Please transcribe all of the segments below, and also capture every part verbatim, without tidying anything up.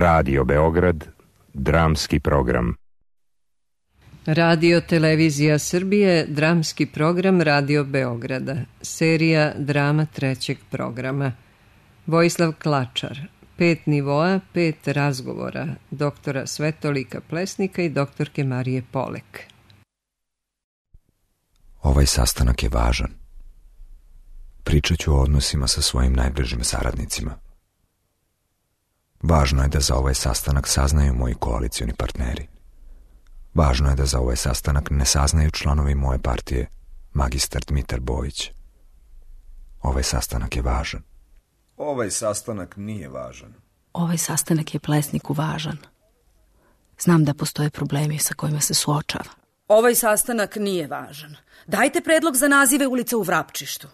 Radio Beograd, dramski program. Radio Televizija Srbije, dramski program Radio Beograda, serija drama trećeg programa. Vojislav Klačar, pet nivoa, pet razgovora, doktora Svetolika Plesnika i doktorke Marije Polek. Ovaj sastanak je važan. Pričat ću o odnosima sa svojim najbližim saradnicima. Važno je da za ovaj sastanak saznaju moji koalicioni partneri. Važno je da za ovaj sastanak ne saznaju članovi moje partije, magistar Dmitar Bojić. Ovaj sastanak je važan. Ovaj sastanak nije važan. Ovaj sastanak je Plesniku važan. Znam da postoje problemi sa kojima se suočava. Ovaj sastanak nije važan. Dajte predlog za nazive ulica u Vrapčištu.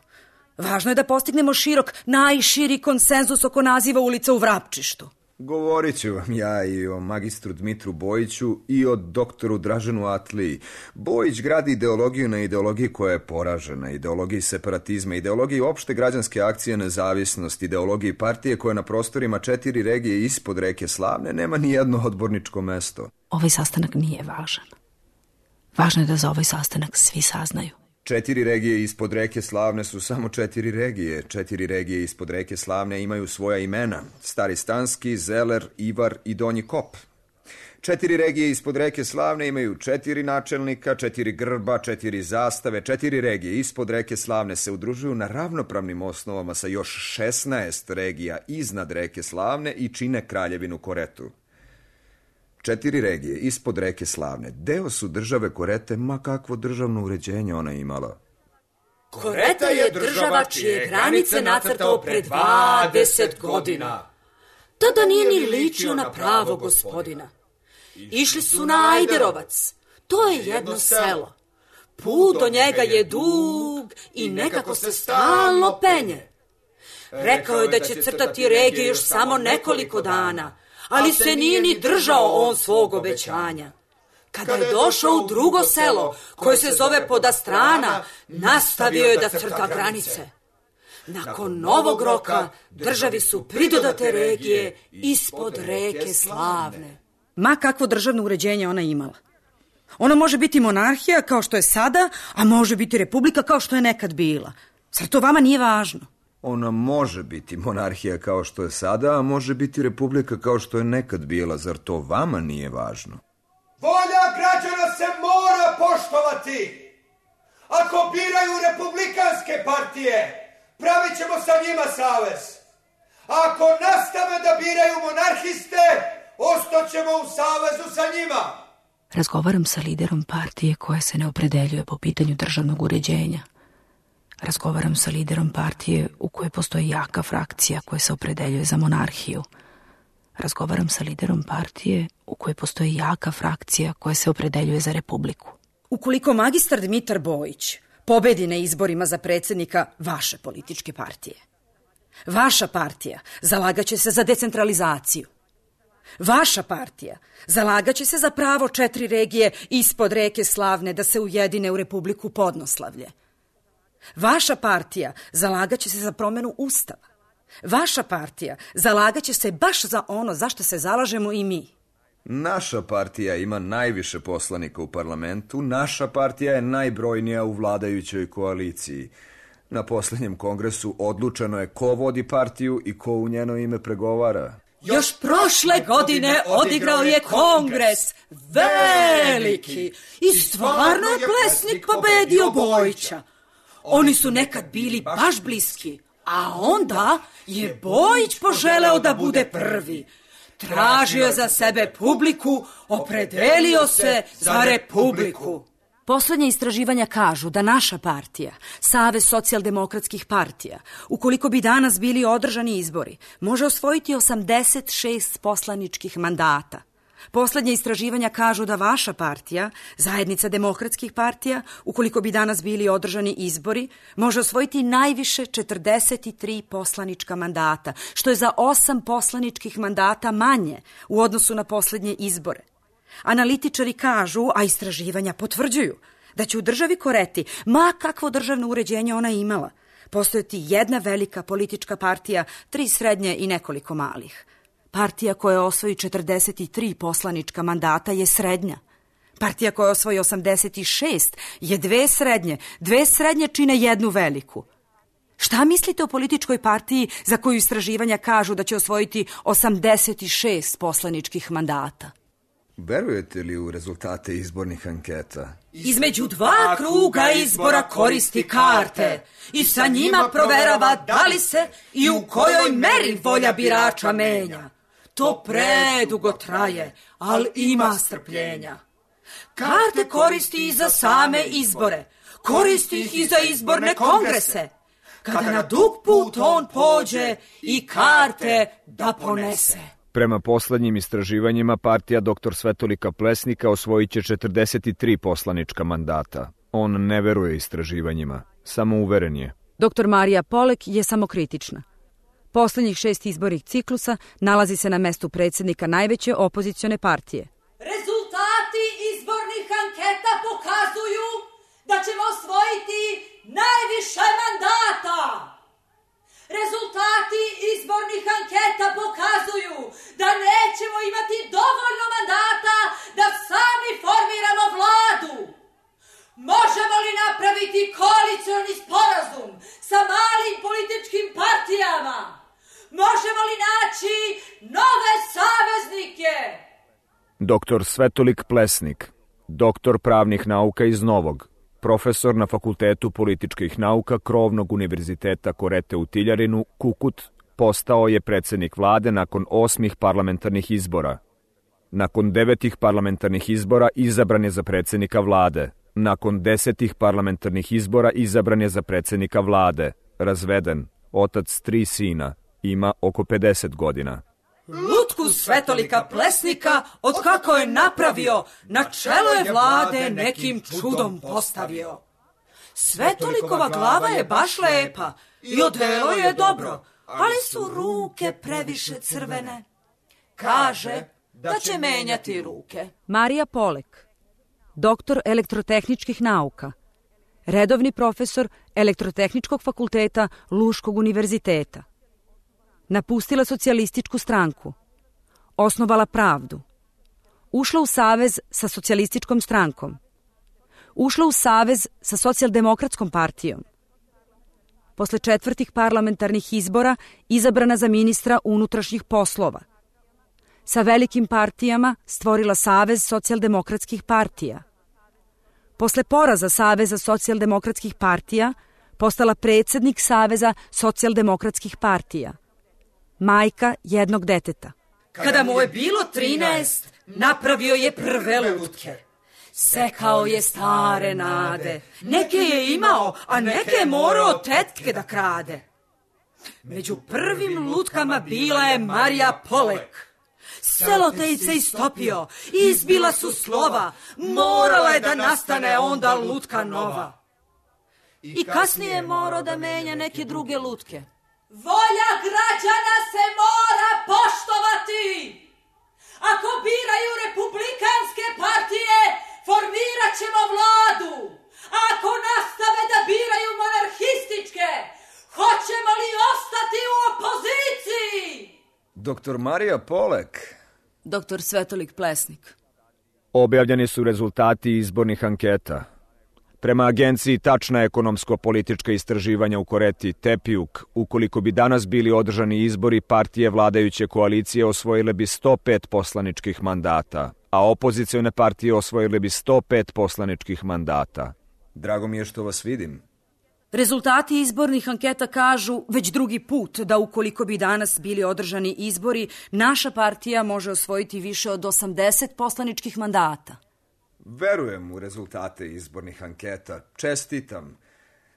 Važno je da postignemo širok, najširi konsenzus oko naziva ulica u Vrapčištu. Govorit ću vam ja i o magistru Dmitru Bojiću i o doktoru Draženu Atliji. Bojić gradi ideologiju na ideologiji koja je poražena, ideologiji separatizma, ideologiji opšte građanske akcije nezavisnost, ideologiji partije koja na prostorima četiri regije ispod reke Slavne nema ni jedno odborničko mesto. Ovaj sastanak nije važan. Važno je da za ovaj sastanak svi saznaju. Četiri regije ispod reke Slavne su samo četiri regije. Četiri regije ispod reke Slavne imaju svoja imena. Stari Stanski, Zeler, Ivar i Donji Kop. Četiri regije ispod reke Slavne imaju četiri načelnika, četiri grba, četiri zastave. Četiri regije ispod reke Slavne se udružuju na ravnopravnim osnovama sa još šesnaest regija iznad reke Slavne i čine Kraljevinu Koretu. Četiri regije ispod reke Slavne deo su države Korete, ma kakvo državno uređenje ona imala. Koreta je država čije granice nacrtao pre dvadeset godina. Tada nije ni ličio na pravo gospodina. Išli su na Ajderovac, to je jedno selo. Put do njega je dug i nekako se stalno penje. Rekao je da će crtati regije još samo nekoliko dana, ali se nije ni držao on svog obećanja. Kada je došao u drugo selo, koje se zove Podastrana, nastavio je da crta granice. Nakon novog roka, državi su pridodate regije ispod reke Slavne. Ma kakvo državno uređenje ona imala. Ona može biti monarhija kao što je sada, a može biti republika kao što je nekad bila. Zar to vama nije važno? Ona može biti monarhija kao što je sada, a može biti republika kao što je nekad bila. Zar to vama nije važno? Volja građana se mora poštovati. Ako biraju republikanske partije, pravit ćemo sa njima savez. Ako nastave da biraju monarhiste, ostaćemo u savezu sa njima. Razgovaram sa liderom partije koja se ne opredeljuje po pitanju državnog uređenja. Razgovaram sa liderom partije u kojoj postoji jaka frakcija koja se opredeljuje za monarhiju. Razgovaram sa liderom partije u kojoj postoji jaka frakcija koja se opredeljuje za republiku. Ukoliko magistar Dmitar Bojić pobedi na izborima za predsjednika vaše političke partije, vaša partija zalagaće se za decentralizaciju. Vaša partija zalagaće se za pravo četiri regije ispod reke Slavne da se ujedine u Republiku Podnoslavlje. Vaša partija zalagaće se za promjenu Ustava. Vaša partija zalagaće se baš za ono za što se zalažemo i mi. Naša partija ima najviše poslanika u parlamentu, naša partija je najbrojnija u vladajućoj koaliciji. Na posljednjem kongresu odlučeno je ko vodi partiju i ko u njeno ime pregovara. Još prošle godine odigrao je kongres veliki i stvarno je Plesnik pobedio Bojića. Oni su nekad bili baš bliski, a onda je Bojić poželeo da bude prvi. Tražio za sebe publiku, opredelio se za republiku. Poslednje istraživanja kažu da naša partija, Savez socijaldemokratskih partija, ukoliko bi danas bili održani izbori, može osvojiti osamdeset šest poslaničkih mandata. Poslednje istraživanja kažu da vaša partija, Zajednica demokratskih partija, ukoliko bi danas bili održani izbori, može osvojiti najviše četrdeset tri poslanička mandata, što je za osam poslaničkih mandata manje u odnosu na poslednje izbore. Analitičari kažu, a istraživanja potvrđuju, da će u državi Koreti, ma kakvo državno uređenje ona imala, postojati jedna velika politička partija, tri srednje i nekoliko malih. Partija koja osvoji četrdeset tri poslanička mandata je srednja. Partija koja osvoji osamdeset šest je dve srednje. Dve srednje čine jednu veliku. Šta mislite o političkoj partiji za koju istraživanja kažu da će osvojiti osamdeset šest poslaničkih mandata? Verujete li u rezultate izbornih anketa? Između dva kruga izbora koristi karte i sa njima proverava da li se i u kojoj meri volja birača menja. To predugo traje, ali ima strpljenja. Karte koristi i za same izbore, koristi ih i za izborne kongrese. Kada na dug put on pođe i karte da ponese. Prema poslednjim istraživanjima, partija doktor Svetolika Plesnika osvojit će četrdeset tri poslanička mandata. On ne veruje istraživanjima, samo uveren je. doktor Marija Polek je samokritična. Poslednjih šest izbornih ciklusa nalazi se na mestu predsjednika najveće opozicione partije. Rezultati izbornih anketa pokazuju da ćemo osvojiti najviše mandata. Rezultati izbornih anketa pokazuju da nećemo imati dovoljno mandata da sami formiramo vladu. Možemo li napraviti koalicioni sporazum sa malim političkim partijama? Možemo li naći nove saveznike? Doktor Svetolik Plesnik, doktor pravnih nauka iz Novog, profesor na Fakultetu političkih nauka Krovnog univerziteta Korete u Tiljarinu, Kukut, postao je predsjednik vlade nakon osmih parlamentarnih izbora. Nakon devetih parlamentarnih izbora izabran je za predsjednika vlade. Nakon desetih parlamentarnih izbora izabran je za predsjednika vlade. Razveden, otac tri sina, ima oko pedeset godina. Lutku Svetolika Plesnika, od kako je napravio, na čelo je vlade nekim čudom postavio. Svetolikova glava je baš lepa i odelo je dobro, ali su ruke previše crvene. Kaže da će menjati ruke. Marija Polek, doktor elektrotehničkih nauka, redovni profesor Elektrotehničkog fakulteta Luškog univerziteta. Napustila socijalističku stranku, osnovala Pravdu, ušla u savez sa socijalističkom strankom, ušla u savez sa socijaldemokratskom partijom. Posle četvrtih parlamentarnih izbora izabrana za ministra unutrašnjih poslova. Sa velikim partijama stvorila Savez socijaldemokratskih partija. Posle poraza Saveza socijaldemokratskih partija postala predsjednik Saveza socijaldemokratskih partija. Majka jednog deteta. Kada mu je bilo trinaest, napravio je prve lutke. Sekao je stare nade. Neke je imao, a neke je morao tetke da krade. Među prvim lutkama bila je Marija Polek. Selotejp se istopio, izbila su slova, morala je da nastane onda lutka nova. I kasnije je morao da menja neke druge lutke. Volja građana se mora poštovati. Ako biraju republikanske partije, formirat ćemo vladu. Ako nastave da biraju monarhističke, hoćemo li ostati u opoziciji? Doktor Marija Polek. doktor Svetolik Plesnik. Objavljeni su rezultati izbornih anketa. Prema agenciji Tačna ekonomsko-politička istraživanja u Koreti Tepijuk, ukoliko bi danas bili održani izbori, partije vladajuće koalicije osvojile bi sto pet poslaničkih mandata, a opozicione partije osvojile bi sto pet poslaničkih mandata. Drago mi je što vas vidim. Rezultati izbornih anketa kažu već drugi put da ukoliko bi danas bili održani izbori, naša partija može osvojiti više od osamdeset poslaničkih mandata. Verujem u rezultate izbornih anketa. Čestitam.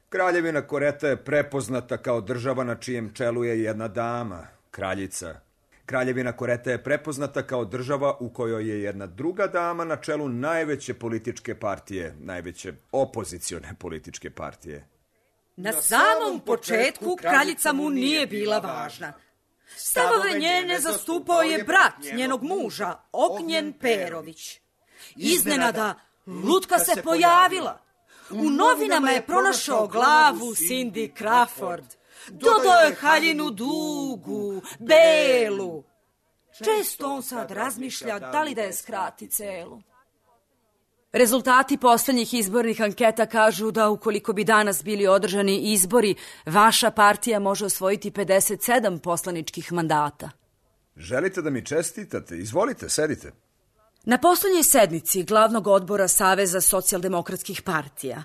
Kraljevina Koreta je prepoznata kao država na čijem čelu je jedna dama, kraljica. Kraljevina Koreta je prepoznata kao država u kojoj je jedna druga dama na čelu najveće političke partije, najveće opozicione političke partije. Na samom početku kraljica mu nije bila važna. Stavove njene zastupao je brat njenog muža, Ognjen Perović. Iznenada, lutka se pojavila. U novinama je pronašao glavu Cindy Crawford. Dodao je haljinu dugu, belu. Često on sad razmišlja da li da je skrati celu. Rezultati poslednjih izbornih anketa kažu da ukoliko bi danas bili održani izbori, vaša partija može osvojiti pedeset sedam poslaničkih mandata. Želite da mi čestitate? Izvolite, sedite. Na poslednjoj sednici glavnog odbora Saveza socijaldemokratskih partija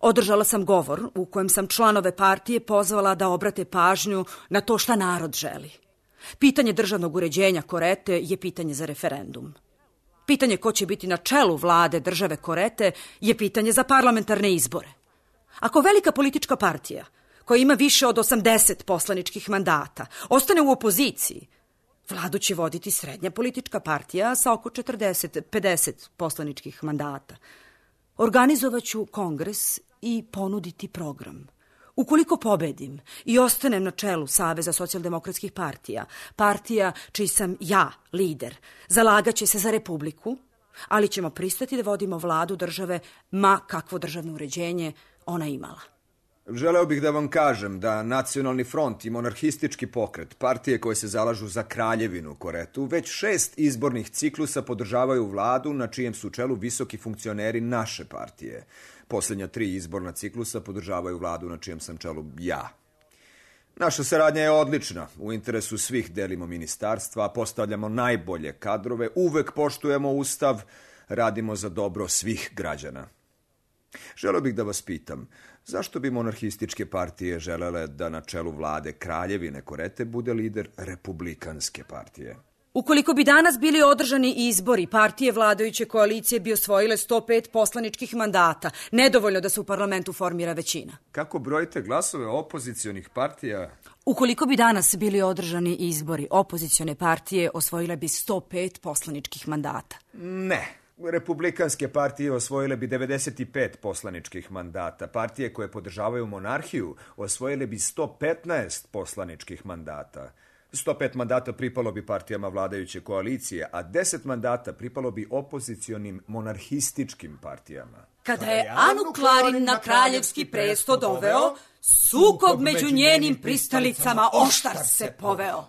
održala sam govor u kojem sam članove partije pozvala da obrate pažnju na to šta narod želi. Pitanje državnog uređenja Korete je pitanje za referendum. Pitanje ko će biti na čelu vlade države Korete je pitanje za parlamentarne izbore. Ako velika politička partija, koja ima više od osamdeset poslaničkih mandata, ostane u opoziciji, vladu će voditi srednja politička partija sa oko četrdeset do pedeset poslaničkih mandata. Organizovaću kongres i ponuditi program. Ukoliko pobedim i ostanem na čelu Saveza socijaldemokratskih partija, partija čiji sam ja lider, zalagaće se za republiku, ali ćemo pristati da vodimo vladu države ma kakvo državno uređenje ona imala. Želeo bih da vam kažem da Nacionalni front i monarhistički pokret, partije koje se zalažu za kraljevinu Koretu, već šest izbornih ciklusa podržavaju vladu na čijem su čelu visoki funkcioneri naše partije. Posljednja tri izborna ciklusa podržavaju vladu na čijem sam čelu ja. Naša saradnja je odlična. U interesu svih delimo ministarstva, postavljamo najbolje kadrove, uvek poštujemo ustav, radimo za dobro svih građana. Želeo bih da vas pitam, zašto bi monarhističke partije želele da na čelu vlade kraljevine Korete bude lider republikanske partije? Ukoliko bi danas bili održani izbori, partije vladajuće koalicije bi osvojile sto pet poslaničkih mandata, nedovoljno da se u parlamentu formira većina. Kako brojite glasove opozicionih partija? Ukoliko bi danas bili održani izbori, opozicione partije osvojile bi sto pet poslaničkih mandata. Ne. Republikanske partije osvojile bi devedeset pet poslaničkih mandata. Partije koje podržavaju monarhiju osvojile bi sto petnaest poslaničkih mandata. sto pet mandata pripalo bi partijama vladajuće koalicije, a deset mandata pripalo bi opozicionim monarhističkim partijama. Kada je Anu Klarin na kraljevski presto doveo, sukob među njenim pristalicama oštar se poveo.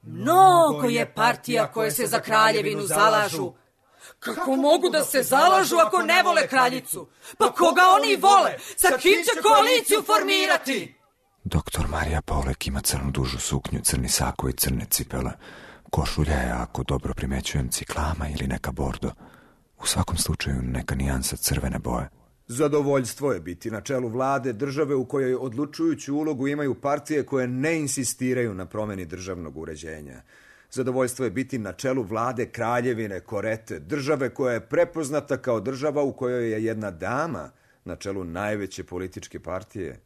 Mnogo je partija koje se za kraljevinu zalažu. Kako mogu da se zalažu ako ne vole kraljicu? Pa koga oni vole? Sa kim će koaliciju formirati? Doktor Marija Paulek ima crnu dužu suknju, crni sako i crne cipele. Košulja je, ako dobro primećujem, ciklama ili neka bordo. U svakom slučaju neka nijansa crvene boje. Zadovoljstvo je biti na čelu vlade države u kojoj odlučujuću ulogu imaju partije koje ne insistiraju na promeni državnog uređenja. Zadovoljstvo je biti na čelu vlade kraljevine Korete, države koja je prepoznata kao država u kojoj je jedna dama na čelu najveće političke partije.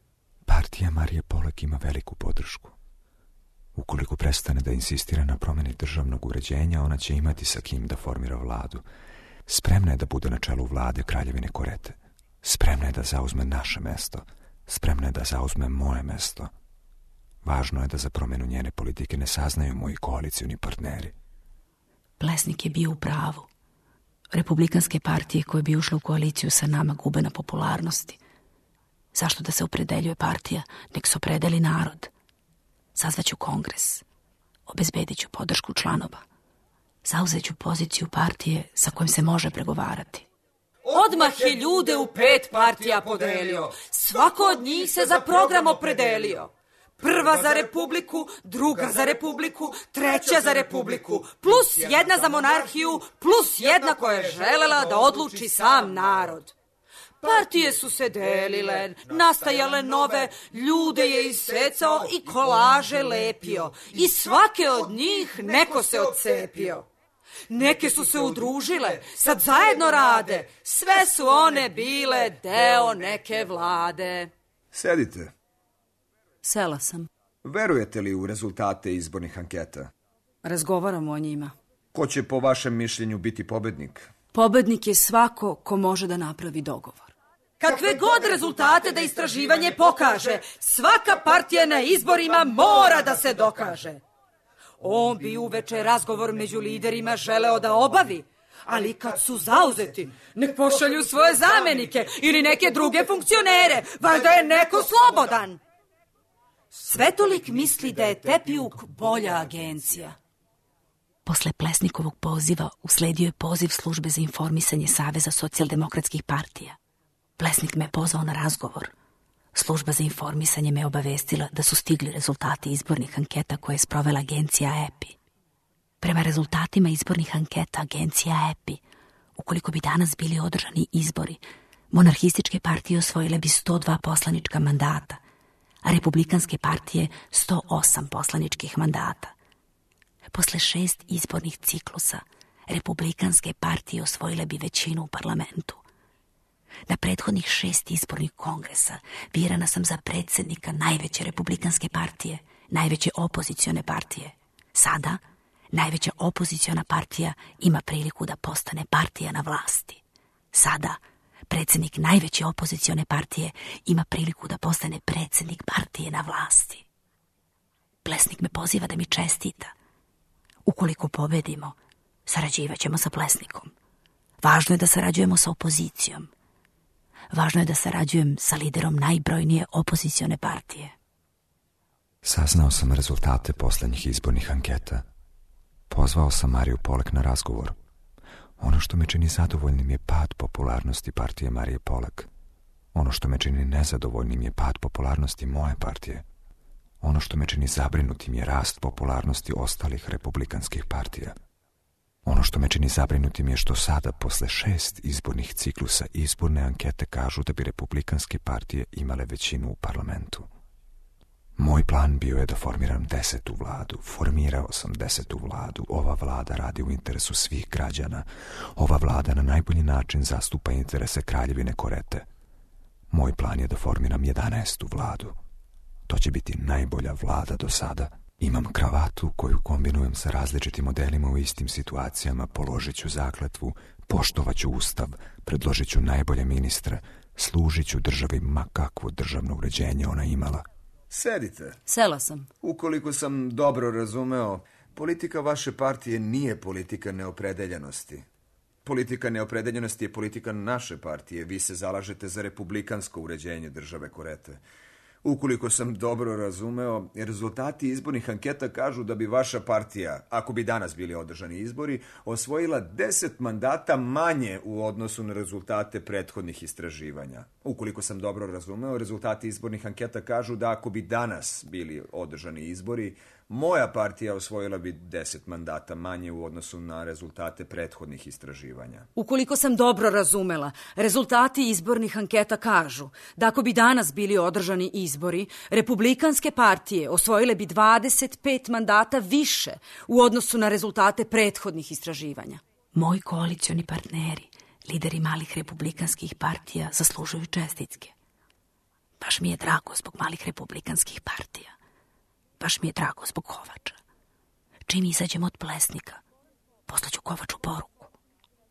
Partija Marije Paulek ima veliku podršku. Ukoliko prestane da insistira na promeni državnog uređenja, ona će imati sa kim da formira vladu. Spremna je da bude na čelu vlade kraljevine Korete. Spremna je da zauzme naše mesto. Spremna je da zauzme moje mesto. Važno je da za promenu njene politike ne saznaju moji koalicioni partneri. Plesnik je bio u pravu. Republikanske partije koje bi ušle u koaliciju sa nama gube na popularnosti. Zašto da se opredeljuje partija? Nek se opredeli narod. Sazvaću kongres. Obezbedit ću podršku članova. Zauzeću poziciju partije sa kojim se može pregovarati. Odmah je ljude u pet partija podelio. Svako od njih se za program opredelio. Prva za republiku, druga za republiku, treća za republiku, plus jedna za monarhiju, plus jedna koja je želela da odluči sam narod. Partije su se delile, nastajale nove, ljude je isecao i kolaže lepio. I svake od njih neko se odcepio. Neke su se udružile, sad zajedno rade, sve su one bile deo neke vlade. Sedite. Sela sam. Verujete li u rezultate izbornih anketa? Razgovaramo o njima. Ko će po vašem mišljenju biti pobednik? Pobednik je svako ko može da napravi dogovor. Kakve god rezultate da istraživanje pokaže, svaka partija na izborima mora da se dokaže. On bi uveče razgovor među liderima želeo da obavi, ali kad su zauzeti, nek pošalju svoje zamenike ili neke druge funkcionere, valjda je neko slobodan. Svetolik misli da je Tepijuk bolja agencija. Posle Plesnikovog poziva usledio je poziv službe za informisanje Saveza socijaldemokratskih partija. Plesnik me je pozvao na razgovor. Služba za informisanje me obavestila da su stigli rezultati izbornih anketa koje je sprovela agencija E P I. Prema rezultatima izbornih anketa agencija E P I, ukoliko bi danas bili održani izbori, monarhističke partije osvojile bi sto dva poslanička mandata, a republikanske partije sto osam poslaničkih mandata. Posle šest izbornih ciklusa, republikanske partije osvojile bi većinu u parlamentu. Na prethodnih šest izbornih kongresa birana sam za predsjednika najveće republikanske partije, najveće opozicione partije. Sada, najveća opoziciona partija ima priliku da postane partija na vlasti. Sada, predsjednik najveće opozicione partije ima priliku da postane predsjednik partije na vlasti. Plesnik me poziva da mi čestita. Ukoliko pobedimo, sarađivaćemo sa Plesnikom. Važno je da sarađujemo sa opozicijom. Važno je da sarađujem sa liderom najbrojnije opozicione partije. Saznao sam rezultate posljednjih izbornih anketa. Pozvao sam Mariju Polek na razgovor. Ono što me čini zadovoljnim je pad popularnosti partije Marije Polek. Ono što me čini nezadovoljnim je pad popularnosti moje partije. Ono što me čini zabrinutim je rast popularnosti ostalih republikanskih partija. Ono što me čini zabrinutim je što sada, posle šest izbornih ciklusa, izborne ankete kažu da bi republikanske partije imale većinu u parlamentu. Moj plan bio je da formiram desetu vladu. Formirao sam desetu vladu. Ova vlada radi u interesu svih građana. Ova vlada na najbolji način zastupa interese Kraljevine Korete. Moj plan je da formiram jedanaestu vladu. To će biti najbolja vlada do sada. Imam kravatu koju kombinujem sa različitim modelima u istim situacijama, položit ću zakletvu, poštovat ću ustav, predložit ću najbolje ministre, služit ću državi ma kakvo državno uređenje ona imala. Sedite. Sela sam. Ukoliko sam dobro razumeo, politika vaše partije nije politika neopredeljenosti. Politika neopredeljenosti je politika naše partije. Vi se zalažete za republikansko uređenje države Korete. Ukoliko sam dobro razumeo, rezultati izbornih anketa kažu da bi vaša partija, ako bi danas bili održani izbori, osvojila deset mandata manje u odnosu na rezultate prethodnih istraživanja. Ukoliko sam dobro razumeo, rezultati izbornih anketa kažu da ako bi danas bili održani izbori, moja partija osvojila bi deset mandata manje u odnosu na rezultate prethodnih istraživanja. Ukoliko sam dobro razumela, rezultati izbornih anketa kažu da ako bi danas bili održani izbori, republikanske partije osvojile bi dvadeset pet mandata više u odnosu na rezultate prethodnih istraživanja. Moji koalicioni partneri, lideri malih republikanskih partija, zaslužuju čestitke. Baš mi je drago zbog malih republikanskih partija. Baš mi je drago zbog Kovača. Čim izađemo od Plesnika, poslaću Kovaču poruku.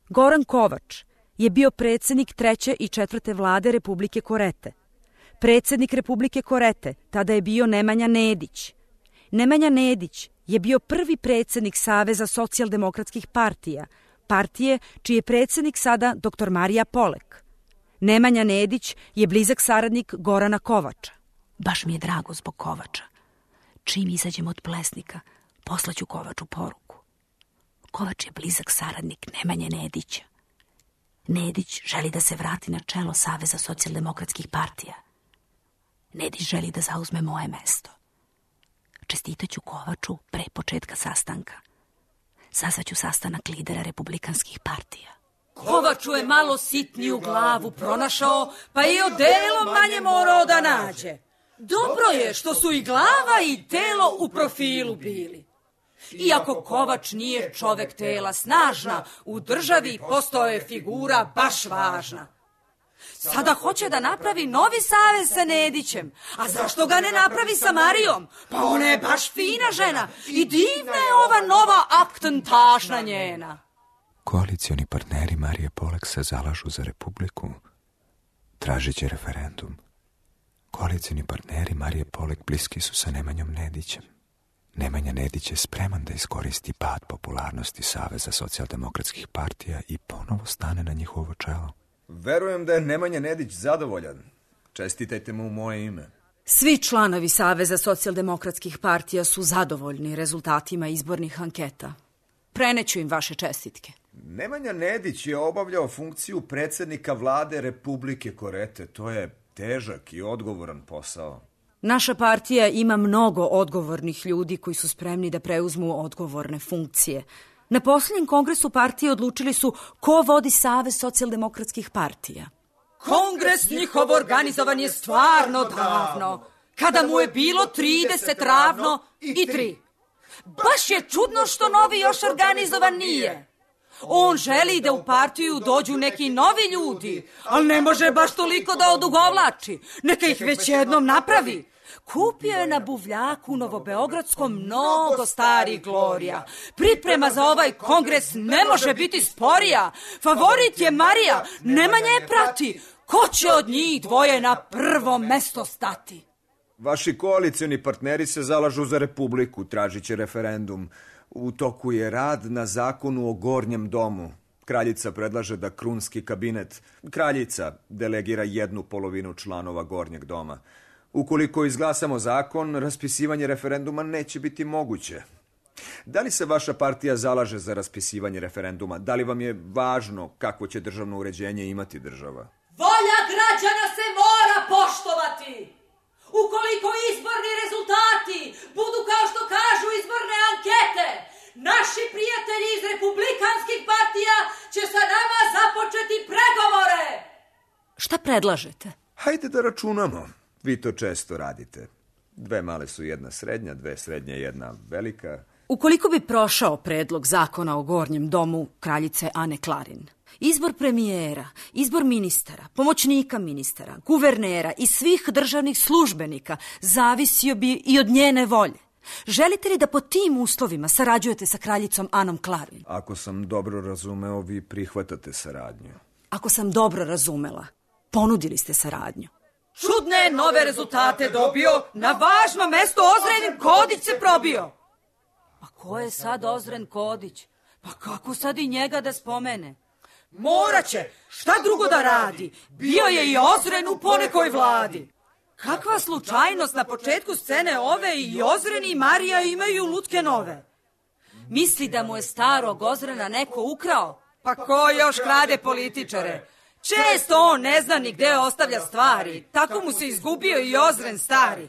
Goran Kovač je bio predsjednik treće i četvrte vlade Republike Korete. Predsjednik Republike Korete tada je bio Nemanja Nedić. Nemanja Nedić je bio prvi predsjednik Saveza socijaldemokratskih partija, partije čiji je predsjednik sada doktor Marija Polek. Nemanja Nedić je blizak saradnik Gorana Kovača. Baš mi je drago zbog Kovača. Čim izađemo od Plesnika, poslaću Kovaču poruku. Kovač je blizak saradnik Nemanje Nedića. Nedić želi da se vrati na čelo Saveza socijaldemokratskih partija. Nedić želi da zauzme moje mesto. Čestitaću Kovaču pre početka sastanka. Sazvaću sastanak lidera republikanskih partija. Kovaču je malo sitniju glavu pronašao, pa i odelo manje morao da nađe. Dobro je što su i glava i telo u profilu bili. Iako Kovač nije čovek tela snažna, u državi postao je figura baš važna. Sada hoće da napravi novi savez sa Nedićem. A zašto ga ne napravi sa Marijom? Pa ona je baš fina žena i divna je ova nova aktentašna njena. Koalicioni partneri Marije Polek se zalažu za republiku. Tražit će referendum. Koalicioni partneri Marije Polek bliski su sa Nemanjom Nedićem. Nemanja Nedić je spreman da iskoristi pad popularnosti Saveza socijaldemokratskih partija i ponovo stane na njihovo čelo. Verujem da je Nemanja Nedić zadovoljan. Čestitajte mu u moje ime. Svi članovi Saveza socijaldemokratskih partija su zadovoljni rezultatima izbornih anketa. Preneću im vaše čestitke. Nemanja Nedić je obavljao funkciju predsjednika vlade Republike Korete. To je težak i odgovoran posao. Naša partija ima mnogo odgovornih ljudi koji su spremni da preuzmu odgovorne funkcije. Na posljednjem kongresu partije odlučili su ko vodi Savez socijaldemokratskih partija. Kongres njihov organizovan je stvarno davno, kada mu je bilo trideset ravno i tri. Baš je čudno što novi još organizovan nije. On želi da u partiju dođu neki novi ljudi, ali ne može baš toliko da odugovlači. Neka ih već jednom napravi. Kupio je na buvljaku novobeogradskom mnogo starih glorija. Priprema za ovaj kongres ne može biti sporija. Favorit je Marija, Nemanja je prati. Ko će od njih dvoje na prvo mesto stati? Vaši koalicioni partneri se zalažu za Republiku, tražit će referendum. U toku je rad na zakonu o Gornjem domu. Kraljica predlaže da krunski kabinet, kraljica, delegira jednu polovinu članova Gornjeg doma. Ukoliko izglasamo zakon, raspisivanje referenduma neće biti moguće. Da li se vaša partija zalaže za raspisivanje referenduma? Da li vam je važno kakvo će državno uređenje imati država? Volja građana se mora poštovati. Ukoliko izborni rezultati budu kao što kažu izborne ankete, naši prijatelji iz republikanskih partija će sa nama započeti pregovore. Šta predlažete? Hajde da računamo. Vi to često radite. Dve male su jedna srednja, dve srednje jedna velika. Ukoliko bi prošao predlog zakona o Gornjem domu kraljice Ane Klarin, izbor premijera, izbor ministara, pomoćnika ministara, guvernera i svih državnih službenika zavisio bi i od njene volje. Želite li da po tim uslovima sarađujete sa kraljicom Anom Klarin? Ako sam dobro razumeo, vi prihvatate saradnju. Ako sam dobro razumela, ponudili ste saradnju. Čudne nove rezultate dobio, na važno mesto Ozren Kodić se probio. Pa ko je sad Ozren Kodić? Pa kako sad i njega da spomene? Moraće, šta drugo da radi? Bio je i Ozren u ponekoj vladi. Kakva slučajnost, na početku scene ove i Ozren i Marija imaju lutke nove. Misli da mu je starog Ozrena neko ukrao? Pa ko još krade političare? Često on ne zna ni gde ostavlja stvari, tako mu se izgubio i Ozren stari.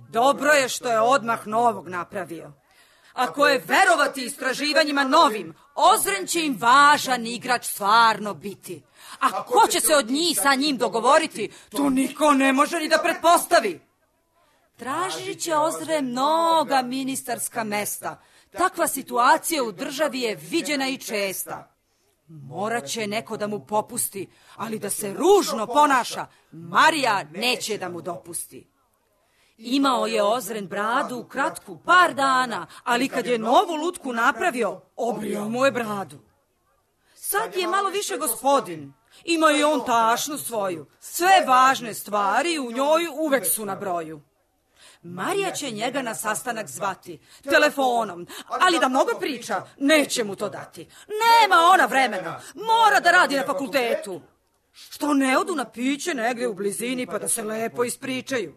Dobro je što je odmah novog napravio. Ako je verovati istraživanjima novim, Ozren će im važan igrač stvarno biti. A ko će se od njih sa njim dogovoriti, to niko ne može ni da pretpostavi. Tražit će Ozren mnoga ministarska mesta. Takva situacija u državi je viđena i česta. Morat će neko da mu popusti, ali da se ružno ponaša, Marija neće da mu dopusti. Imao je Ozren bradu kratku par dana, ali kad je novu lutku napravio, obrio mu je bradu. Sad je malo više gospodin. Ima i on tašnu svoju. Sve važne stvari u njoj uvek su na broju. Marija će njega na sastanak zvati telefonom, ali da mnogo priča, neće mu to dati. Nema ona vremena, mora da radi na fakultetu. Što ne odu na piće negde u blizini pa da se lepo ispričaju.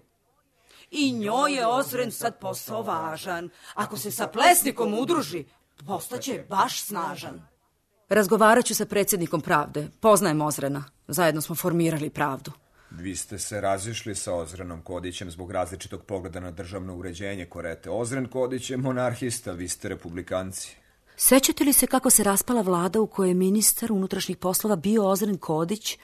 I njoj je Ozren sad posao važan. Ako se sa Plesnikom udruži, postaće baš snažan. Razgovarat ću sa predsjednikom Pravde. Poznajem Ozrena. Zajedno smo formirali Pravdu. Vi ste se razišli sa Ozrenom Kodićem zbog različitog pogleda na državno uređenje Korete. Ozren Kodić je monarhista, vi ste republikanci. Sećate li se kako se raspala vlada u kojoj je ministar unutrašnjih poslova bio Ozren Kodić?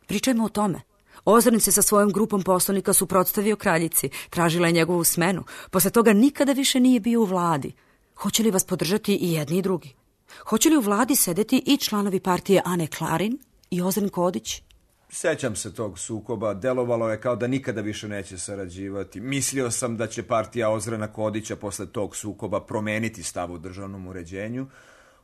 Pričajmo o tome. Ozren se sa svojom grupom poslanika suprotstavio kraljici, tražila je njegovu smenu. Posle toga nikada više nije bio u vladi. Hoće li vas podržati i jedni i drugi? Hoće li u vladi sedeti i članovi partije Ane Klarin i Ozren Kodić? Sećam se tog sukoba, delovalo je kao da nikada više neće sarađivati. Mislio sam da će partija Ozrena Kodića posle tog sukoba promeniti stav u državnom uređenju.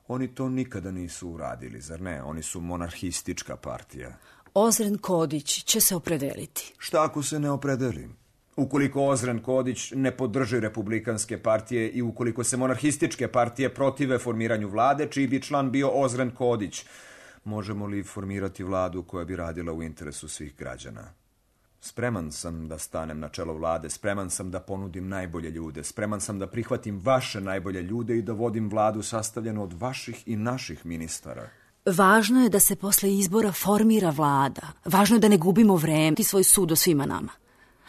Oni to nikada nisu uradili, zar ne? Oni su monarhistička partija. Ozren Kodić će se opredeliti. Šta ako se ne opredeli? Ukoliko Ozren Kodić ne podrži republikanske partije i ukoliko se monarhističke partije protive formiranju vlade, čiji bi član bio Ozren Kodić, možemo li formirati vladu koja bi radila u interesu svih građana? Spreman sam da stanem na čelo vlade, spreman sam da ponudim najbolje ljude, spreman sam da prihvatim vaše najbolje ljude i da vodim vladu sastavljenu od vaših i naših ministara. Važno je da se posle izbora formira vlada. Važno je da ne gubimo vreme i svoj sud o svima nama.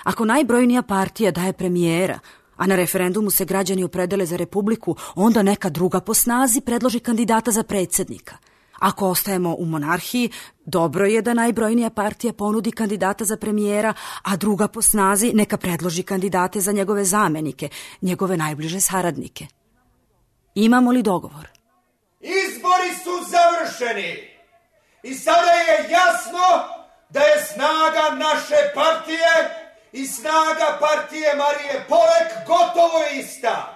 Ako najbrojnija partija daje premijera, a na referendumu se građani opredele za republiku, onda neka druga po snazi predloži kandidata za predsjednika. Ako ostajemo u monarhiji, dobro je da najbrojnija partija ponudi kandidata za premijera, a druga po snazi neka predloži kandidate za njegove zamenike, njegove najbliže saradnike. Imamo li dogovor? Izbori su završeni i sada je jasno da je snaga naše partije i snaga partije Marije Polek gotovo ista.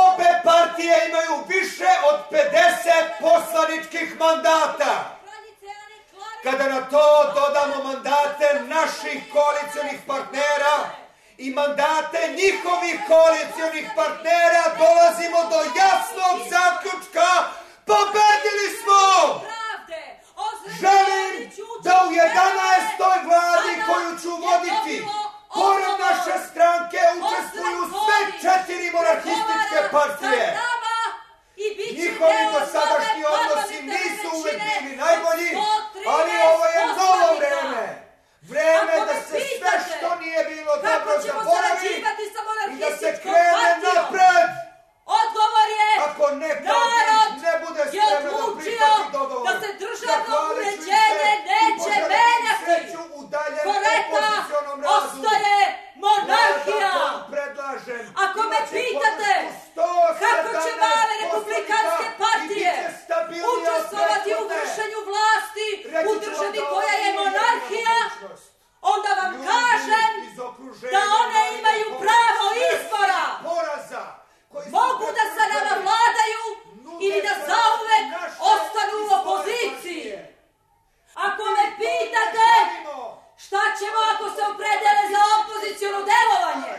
Obe partije imaju više od pedeset poslaničkih mandata. Kada na to dodamo mandate naših koalicionih partnera i mandate njihovih koalicionih partnera, dolazimo do jasnog zaključka: pobedili smo! Želim da u jedanaestoj vladi koju ću voditi, pored naše stranke učestvuju sve četiri monarhističke partije. Njihovi dosadašnji odnosi nisu uvek bili najbolji, ali ovo je novo vreme. Vreme da se sve što nije bilo dobro zaboravi i da se krene napred. Odgovor je, Ako neka narod ne bude je spremna da odlučio prihvati dogovor, da se državno zahvalit ću im se uređenje i neće poželim menjati. sreću u daljem Koreta opozicionom radu. ostaje monarhija. Ja zato predlažem, Ako me imate pitate podršku kako će male sto sedamnaest republikanske poslanika partije i bit će stabilnija od učestvovati u prethodne. vršenju vlasti Reći u ću vam državi da koja ovo je nije monarhija, jedna mogućnost. onda vam Ljudi kažem iz okruženja da one Marije imaju Polek pravo sve izbora. poraza koji su Mogu da sa nama pretrpeli. vladaju ili da zauvek Naše ostanu u izborne opoziciji. partije. Ako me pitate šta ćemo ako se opredele za opoziciono delovanje,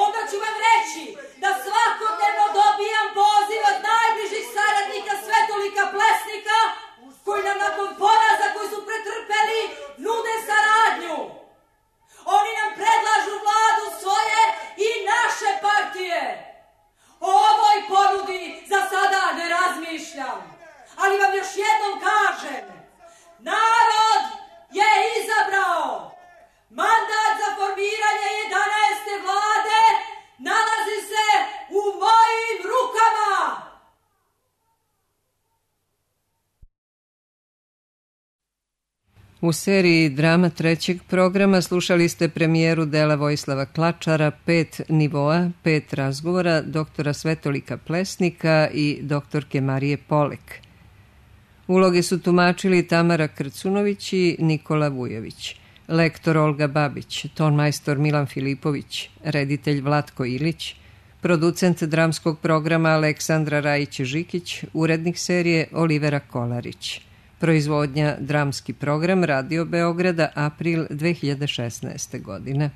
onda ću vam reći da svakodnevno dobijam poziv od najbližih saradnika Svetolika Plesnika, koji nam nakon poraza koji su pretrpeli nude saradnju. Oni nam predlažu vladu svoje i naše partije. O ovoj ponudi za sada ne razmišljam, ali vam još jednom kažem, narod je izabrao. Mandat za formiranje jedanaeste vlade nalazi se u mojim rukama. U seriji drama trećeg programa slušali ste premijeru dela Vojislava Klačara Pet nivoa, pet razgovora doktora Svetolika Plesnika i doktorke Marije Polek. Uloge su tumačili Tamara Krcunović i Nikola Vujović, lektor Olga Babić, tonmajstor Milan Filipović, reditelj Vlatko Ilić, producent dramskog programa Aleksandra Rajić-Žikić, urednik serije Olivera Kolarić. Proizvodnja dramski program Radio Beograda, april dve hiljade šesnaeste godine.